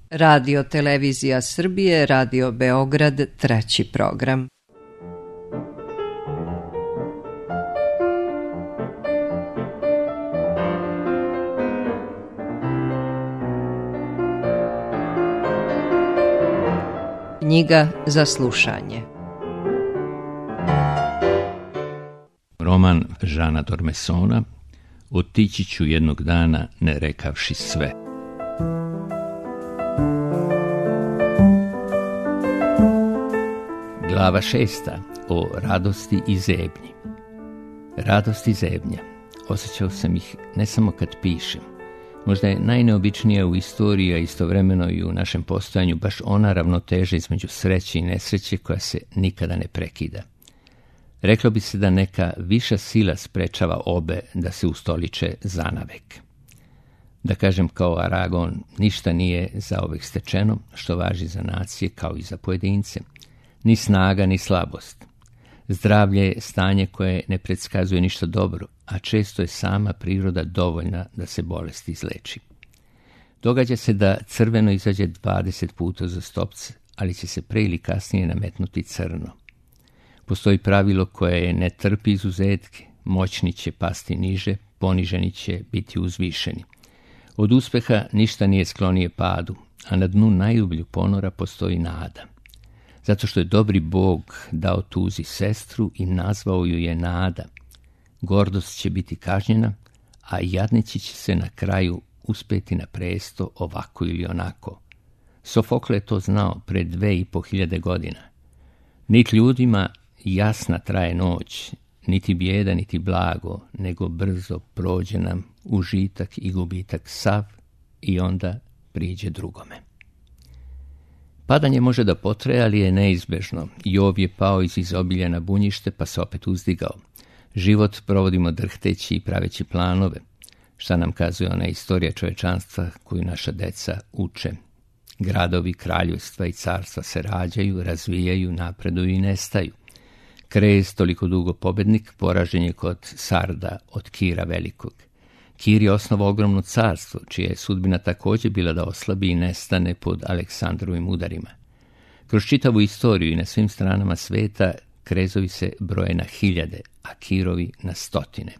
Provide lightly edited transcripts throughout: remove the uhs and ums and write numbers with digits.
Radio Televizija Srbije, Radio Beograd, 3. program. Knjiga za slušanje. Roman Žana Dormesona Otići ću jednog dana ne rekavši sve. Glava 6. O radosti i zebnji. Radost i zebnja. Osjećao sam ih ne samo kad pišem. Možda je najneobičnija u istoriji, a istovremeno i u našem postojanju baš ona ravnoteža između sreće i nesreće koja se nikada ne prekida. Reklo bi se da neka viša sila sprečava obe da se ustoliče zanavek. Da kažem kao Aragon, ništa nije zauvek stečeno, što važi za nacije kao i za pojedince. Ni snaga, ni slabost. Zdravlje je stanje koje ne predskazuje ništa dobro, a često je sama priroda dovoljna da se bolest izleči. Događa se da crveno izađe 20 puta za stopce, ali će se pre ili kasnije nametnuti crno. Postoji pravilo koje ne trpi izuzetke, moćni će pasti niže, poniženi će biti uzvišeni. Od uspeha ništa nije sklonije padu, a na dnu najublju ponora postoji nada. Zato što je dobri Bog dao tuzi sestru i nazvao ju je nada. Gordost će biti kažnjena, a jadnici će se na kraju uspeti na presto ovako ili onako. Sofokle je to znao pre 2500 godina. Niti ljudima jasna traje noć, niti bijeda, niti blago, nego brzo prođe nam užitak i gubitak sav i onda priđe drugome. Padanje može da potraje, ali je neizbežno. Jov je pao iz izobilja na bunjište, pa se opet uzdigao. Život provodimo drhteći i praveći planove. Šta nam kazuje ona istorija čovečanstva koju naša deca uče? Gradovi, kraljevstva i carstva se rađaju, razvijaju, napreduju i nestaju. Krez, toliko dugo pobednik, poražen je kod Sarda od Kira Velikog. Kir je osnovao ogromno carstvo, čija je sudbina također bila da oslabi i nestane pod Aleksandrovim udarima. Kroz čitavu istoriju i na svim stranama sveta krezovi se broje na hiljade, a Kirovi na stotine.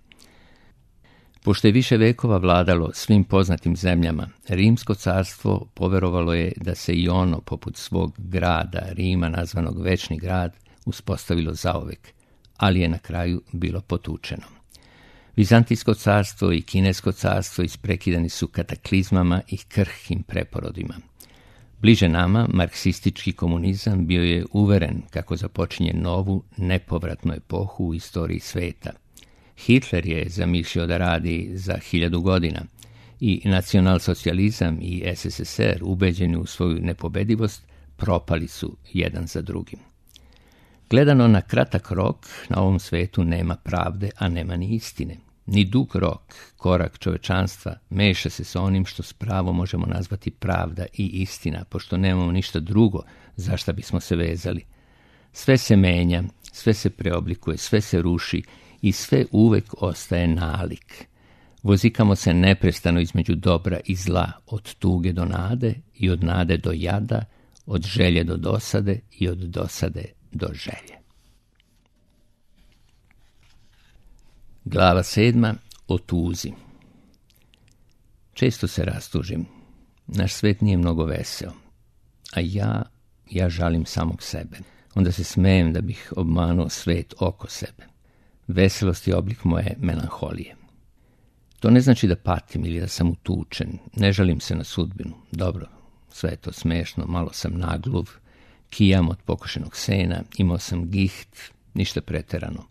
Pošto je više vekova vladalo svim poznatim zemljama, Rimsko carstvo poverovalo je da se i ono, poput svog grada, Rima, nazvanog Večni grad, uspostavilo zauvek, ali je na kraju bilo potučeno. Vizantijsko carstvo i Kinesko carstvo isprekidani su kataklizmama i krhkim preporodima. Bliže nama, marksistički komunizam bio je uveren kako započinje novu, nepovratnu epohu u istoriji sveta. Hitler je zamišljao da radi za 1000 godina i nacionalsocijalizam i SSSR, ubeđeni u svoju nepobedivost, propali su jedan za drugim. Gledano na kratak rok, na ovom svetu nema pravde, a nema ni istine. Ni dug rok, korak čovečanstva, meša se sa onim što s pravom možemo nazvati pravda i istina, pošto nemamo ništa drugo za šta bismo se vezali. Sve se menja, sve se preoblikuje, sve se ruši i sve uvek ostaje nalik. Vozikamo se neprestano između dobra i zla, od tuge do nade i od nade do jada, od želje do dosade i od dosade do želje. Glava 7. O tuzi. Često se rastužim. Naš svet nije mnogo veseo. A ja žalim samog sebe. Onda se smejem da bih obmanuo svet oko sebe. Veselost je oblik moje melanholije. To ne znači da patim ili da sam utučen. Ne žalim se na sudbinu. Dobro, sve je to smešno, malo sam nagluv, kijam od pokošenog sena, imao sam giht, ništa preterano.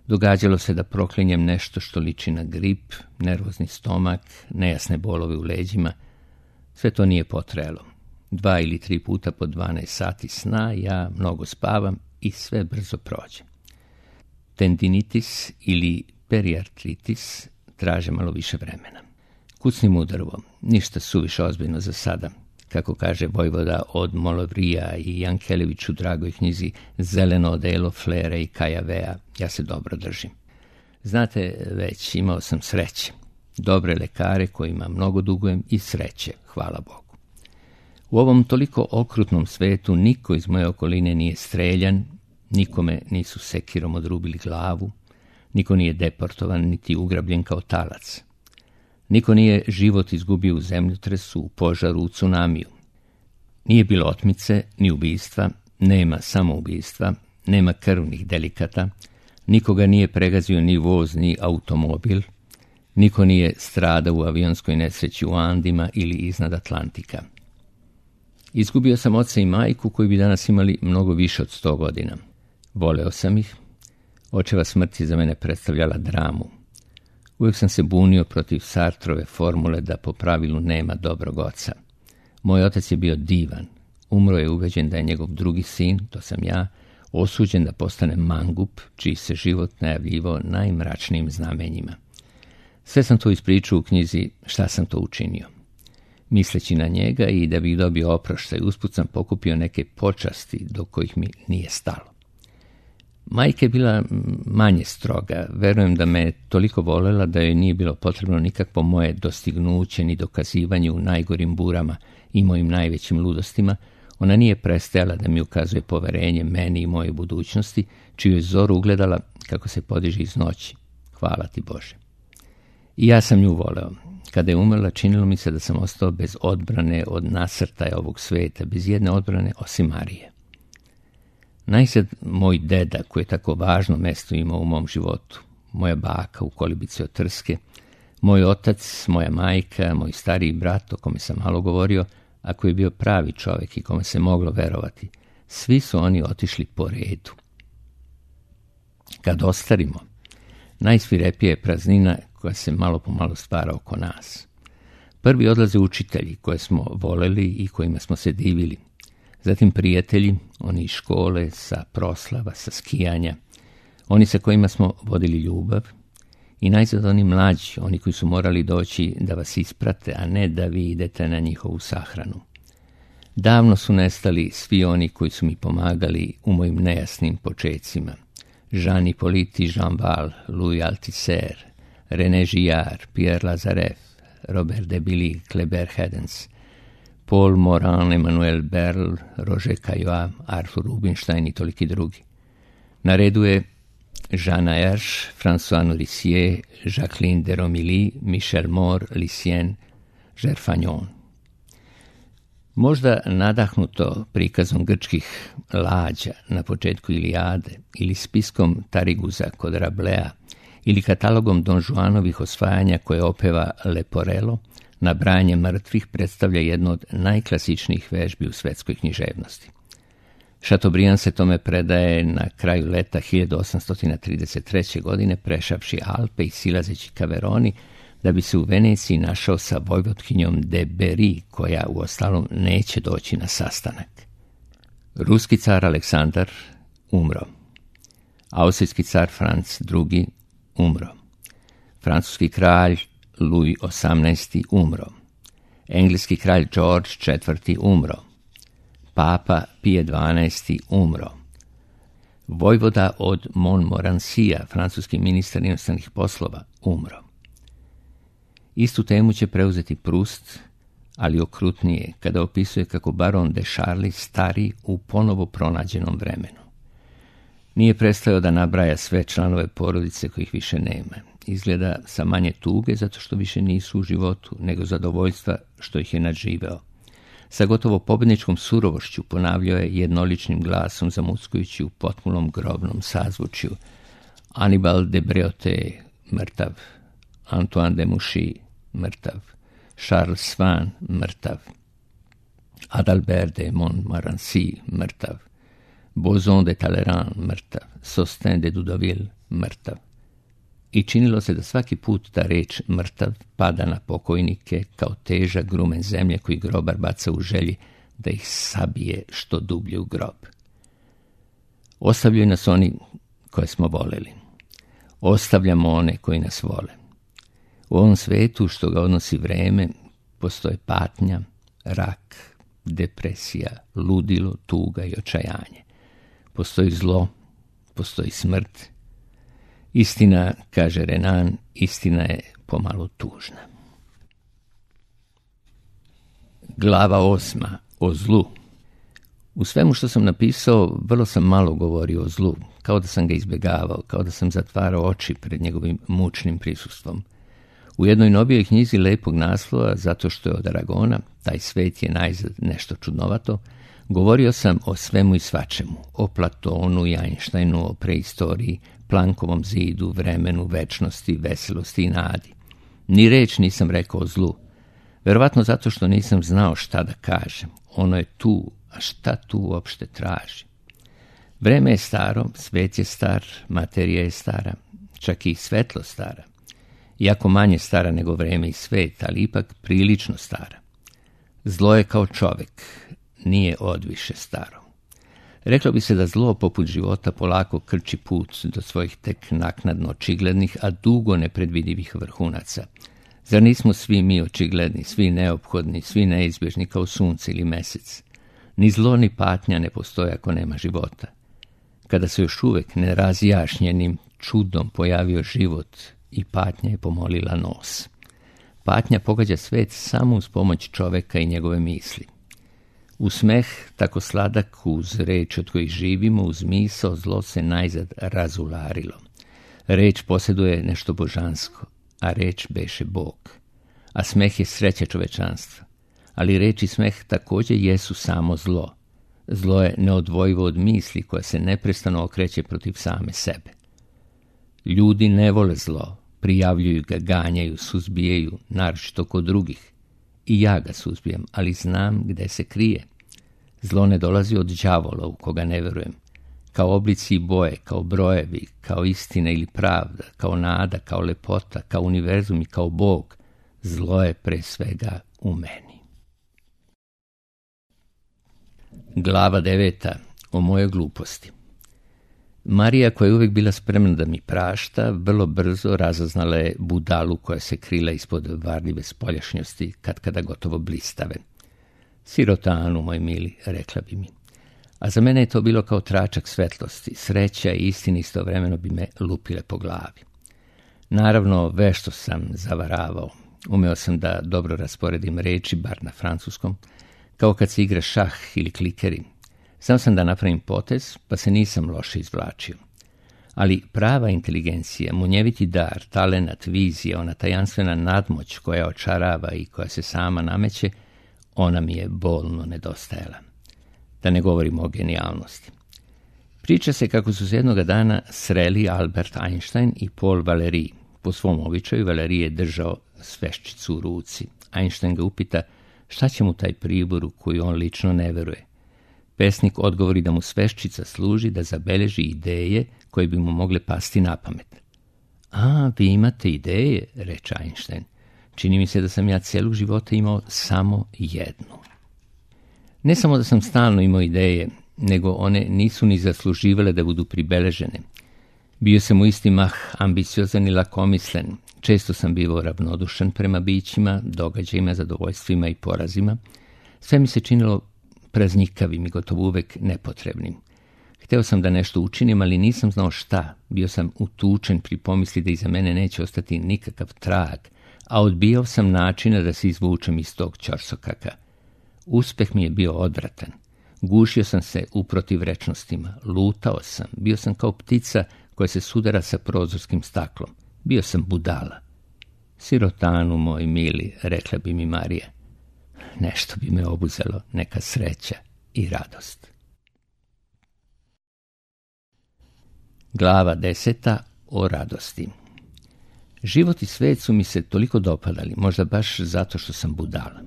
Događalo se da proklinjem nešto što liči na grip, nervozni stomak, nejasne bolove u leđima. Sve to nije potrajalo. 2 ili 3 puta po 12 sati sna, ja mnogo spavam i sve brzo prođe. Tendinitis ili periartritis traže malo više vremena. Kucnim udarvom, ništa suviše ozbiljno za sada. Kako kaže vojvoda od Molovrija i Jankelević u dragoj knjizi Zeleno odelo Flera i Kajavea, ja se dobro držim. Znate, već imao sam sreće. Dobre lekare kojima mnogo dugujem i sreće, hvala Bogu. U ovom toliko okrutnom svetu niko iz moje okoline nije streljan, nikome nisu sekirom odrubili glavu, niko nije deportovan niti ugrabljen kao talac. Niko nije život izgubio u zemljotresu, u požaru, u tsunamiju. Nije bilo otmice, ni ubistva, nema samoubistva, nema krvnih delikata, nikoga nije pregazio ni voz, ni automobil, niko nije stradao u avionskoj nesreći u Andima ili iznad Atlantika. Izgubio sam oca i majku koji bi danas imali mnogo više od 100 godina. Voleo sam ih. Očeva smrt je za mene predstavljala dramu. Uvijek sam se bunio protiv Sartrove formule da po pravilu nema dobrog oca. Moj otac je bio divan. Umro je ubeđen da je njegov drugi sin, to sam ja, osuđen da postane mangup, čiji se život najavljivao najmračnijim znamenjima. Sve sam to ispričao u knjizi Šta sam to učinio. Misleći na njega i da bih dobio oproštaj, usput sam pokupio neke počasti do kojih mi nije stalo. Majka je bila manje stroga. Verujem da me toliko volela da joj nije bilo potrebno nikakvo moje dostignuće ni dokazivanje u najgorim burama i mojim najvećim ludostima. Ona nije prestajala da mi ukazuje poverenje meni i moje budućnosti, čiju je zoru ugledala kako se podiže iz noći. Hvala ti Bože. I ja sam nju voleo. Kada je umrla, činilo mi se da sam ostao bez odbrane od nasrtaja ovog sveta, bez jedne odbrane osim Marije. Najsad moj deda, koji je tako važno mesto imao u mom životu, moja baka u kolibici od trske, moj otac, moja majka, moj stariji brat, o kome sam malo govorio, a koji je bio pravi čovjek i kome se moglo verovati, svi su oni otišli po redu. Kad ostarimo, najsvirepija je praznina koja se malo po malo stvara oko nas. Prvi odlaze učitelji koje smo voleli i kojima smo se divili. Zatim prijatelji, oni iz škole, sa proslava, sa skijanja, oni sa kojima smo vodili ljubav, i najzad oni mlađi, oni koji su morali doći da vas isprate, a ne da vi idete na njihovu sahranu. Davno su nestali svi oni koji su mi pomagali u mojim nejasnim počecima. Jean Hippolyte, Jean Val, Louis Althusser, René Girard, Pierre Lazareff, Robert de Billy, Kleber Hedens, Paul Morin, Emmanuel Berl, Roger Caillois, Arthur Rubinstein i toliki drugi. Na redu je Jeanne Hirsch, François Nourricier, Jacqueline de Romilly, Michel Moore, Lucien, Gerfagnon. Možda nadahnuto prikazom grčkih lađa na početku Ilijade ili spiskom Tariguza kod Rablea ili katalogom Don Juanovih osvajanja koje opeva Leporello, nabrajanje mrtvih predstavlja jedno od najklasičnijih vežbi u svetskoj književnosti. Chateaubriand se tome predaje na kraju leta 1833. godine prešavši Alpe i silazeći ka Veroni, da bi se u Veneciji našao sa vojvotkinjom de Berry, koja uostalom neće doći na sastanak. Ruski car Aleksandar umro. Austrijski car Franc II umro. Francuski kralj Louis XVIII umro. Engleski kralj George IV umro. Papa Pije XII umro. Vojvoda od Montmorencija, francuski ministar inostranih poslova, umro. Istu temu će preuzeti Proust, ali okrutnije, kada opisuje kako baron de Charly stari u ponovo pronađenom vremenu. Nije prestao da nabraja sve članove porodice kojih više nema. Izgleda sa manje tuge zato što više nisu u životu, nego zadovoljstva što ih je nadživeo. Sa gotovo pobjedničkom surovošću ponavljao je jednoličnim glasom zamuckujući u potpunom grobnom sazvučju: Annibal de Breauté, mrtav; Antoine de Mouchy, mrtav; Charles Swan, mrtav; Adalbert de Montmorency, mrtav; Boson de Talleyrand, mrtav; Sostin de Dudoville, mrtav. I činilo se da svaki put ta reč mrtav pada na pokojnike kao težak grumen zemlje koji grobar baca u želji da ih sabije što dublje u grob. Ostavljaju nas oni koje smo voleli. Ostavljamo one koji nas vole. U ovom svetu što ga odnosi vreme postoje patnja, rak, depresija, ludilo, tuga i očajanje. Postoji zlo, postoji smrt. Istina, kaže Renan, istina je pomalo tužna. Glava 8. o zlu. U svemu što sam napisao, vrlo sam malo govorio o zlu, kao da sam ga izbjegavao, kao da sam zatvarao oči pred njegovim mučnim prisustvom. U jednoj novijoj knjizi lepog naslova, zato što je od Aragona, taj svet je najzad nešto čudnovato, govorio sam o svemu i svačemu, o Platonu i Einsteinu, o preistoriji, Plankovom zidu, vremenu, večnosti, veselosti i nadi. Ni reč nisam rekao o zlu. Verovatno zato što nisam znao šta da kažem. Ono je tu, a šta tu uopšte traži? Vreme je staro, svet je star, materija je stara, čak i svetlo stara. Iako manje stara nego vreme i svet, ali ipak prilično stara. Zlo je kao čovek, nije odviše staro. Reklo bi se da zlo poput života polako krči put do svojih tek naknadno očiglednih, a dugo nepredvidivih vrhunaca. Zar nismo svi mi očigledni, svi neophodni, svi neizbježni kao sunce ili mesec? Ni zlo ni patnja ne postoje ako nema života. Kada se još uvek nerazjašnjenim čudom pojavio život i patnja je pomolila nos. Patnja pogađa svet samo uz pomoć čoveka i njegove misli. U smeh, tako sladak uz reč od kojih živimo, uz misao, zlo se najzad razularilo. Reč posjeduje nešto božansko, a reč beše Bog. A smeh je sreća čovečanstva. Ali reč i smeh također jesu samo zlo. Zlo je neodvojivo od misli koja se neprestano okreće protiv same sebe. Ljudi ne vole zlo, prijavljuju ga, ganjaju, suzbijaju, naročito kod drugih. I ja ga suzbijem, ali znam gde se krije. Zlo ne dolazi od đavola u koga ne verujem. Kao oblici i boje, kao brojevi, kao istina ili pravda, kao nada, kao lepota, kao univerzum i kao Bog. Zlo je pre svega u meni. Glava 9. O mojoj gluposti. Marija, koja je uvijek bila spremna da mi prašta, vrlo brzo razaznala je budalu koja se krila ispod varljive spoljašnjosti, katkada gotovo blistave. Sirotanu, moj mili, rekla bi mi. A za mene je to bilo kao tračak svetlosti, sreća i istina istovremeno bi me lupile po glavi. Naravno, vešto sam zavaravao. Umeo sam da dobro rasporedim reči, bar na francuskom, kao kad se igra šah ili klikeri. Znao sam da napravim potez, pa se nisam loše izvlačio. Ali prava inteligencija, munjeviti dar, talenat, vizija, ona tajanstvena nadmoć koja očarava i koja se sama nameće, ona mi je bolno nedostajala. Da ne govorimo o genijalnosti. Priča se kako su se jednoga dana sreli Albert Einstein i Paul Valéry. Po svom običaju Valéry je držao sveščicu u ruci. Einstein ga upita šta će mu taj pribor u koji on lično ne veruje. Pesnik odgovori da mu sveščica služi da zabeleži ideje koje bi mu mogle pasti na pamet. A, vi imate ideje, reče Einstein. Čini mi se da sam ja cijelog života imao samo jednu. Ne samo da sam stalno imao ideje, nego one nisu ni zasluživale da budu pribeležene. Bio sam u isti mah ambiciozan i lakomislen. Često sam bivao ravnodušan prema bićima, događajima, zadovoljstvima i porazima. Sve mi se činilo praznikavim i gotovo uvek nepotrebnim. Hteo sam da nešto učinim, ali nisam znao šta. Bio sam utučen pri pomisli da iza mene neće ostati nikakav trag, a odbijao sam načina da se izvučem iz tog ćorsokaka. Uspeh mi je bio odvratan. Gušio sam se u protivrečnostima, lutao sam, bio sam kao ptica koja se sudara sa prozorskim staklom. Bio sam budala. Sirotanu, moj mili, rekla bi mi Marija. Nešto bi me obuzelo, neka sreća i radost. Glava 10. O radosti. Život i svet su mi se toliko dopadali, možda baš zato što sam budala.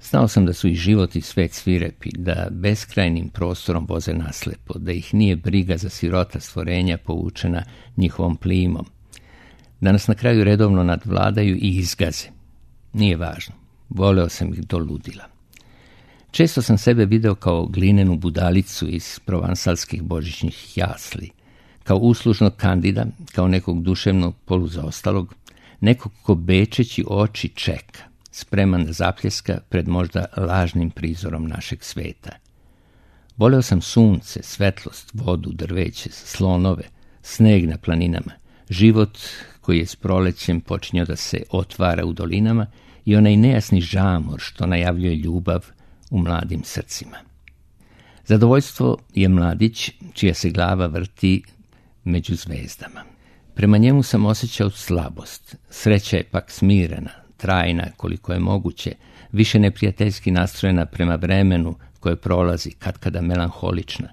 Znao sam da su i život i svet svirepi, da beskrajnim prostorom voze naslepo, da ih nije briga za sirota stvorenja povučena njihovom plimom, da nas na kraju redovno nadvladaju i izgaze. Nije važno, voleo sam ih do ludila. Često sam sebe video kao glinenu budalicu iz provansalskih božićnih jasli, kao uslužnog kandida, kao nekog duševnog poluzaostalog, nekog ko bečeći oči čeka, spreman da zapljeska pred možda lažnim prizorom našeg sveta. Voleo sam sunce, svetlost, vodu, drveće, slonove, sneg na planinama, život koji je s prolećem počinjao da se otvara u dolinama i onaj nejasni žamor što najavljuje ljubav u mladim srcima. Zadovoljstvo je mladić čija se glava vrti među zvezdama. Prema njemu sam osjećao slabost. Sreća je pak smirena, trajna koliko je moguće, više neprijateljski nastrojena prema vremenu koje prolazi, katkada melanholična.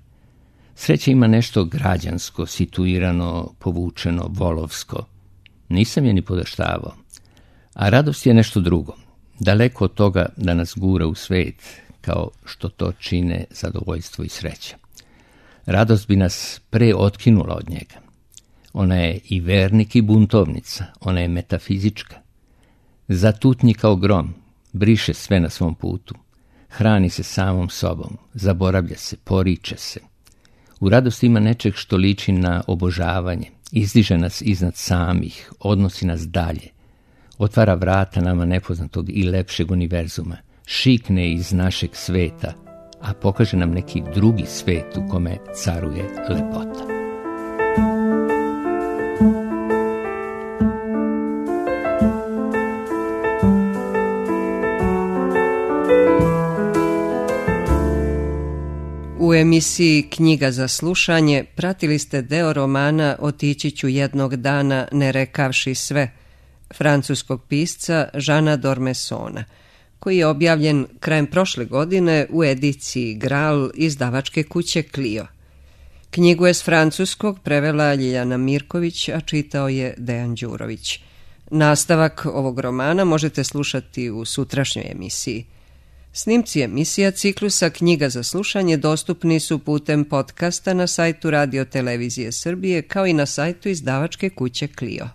Sreća ima nešto građansko, situirano, povučeno, volovsko. Nisam je ni podaštavao. A radost je nešto drugo. Daleko od toga da nas gura u svet, kao što to čine zadovoljstvo i sreća. Radost bi nas pre otkinula od njega. Ona je i vernik i buntovnica, ona je metafizička. Zatutnji kao grom, briše sve na svom putu, hrani se samom sobom, zaboravlja se, poriče se. U radosti ima nečeg što liči na obožavanje, izdiže nas iznad samih, odnosi nas dalje, otvara vrata nama nepoznatog i lepšeg univerzuma, šikne iz našeg sveta, a pokaže nam neki drugi svet u kome caruje lepota. U emisiji Knjiga za slušanje pratili ste deo romana Otići ću jednog dana ne rekavši sve, francuskog pisca Jeana d'Ormessona, koji je objavljen krajem prošle godine u ediciji Graal izdavačke kuće Clio. Knjigu je s francuskog prevela Ljiljana Mirković, a čitao je Dejan Đurović. Nastavak ovog romana možete slušati u sutrašnjoj emisiji. Snimci emisija ciklusa Knjiga za slušanje dostupni su putem podcasta na sajtu Radio Televizije Srbije kao i na sajtu izdavačke kuće Clio.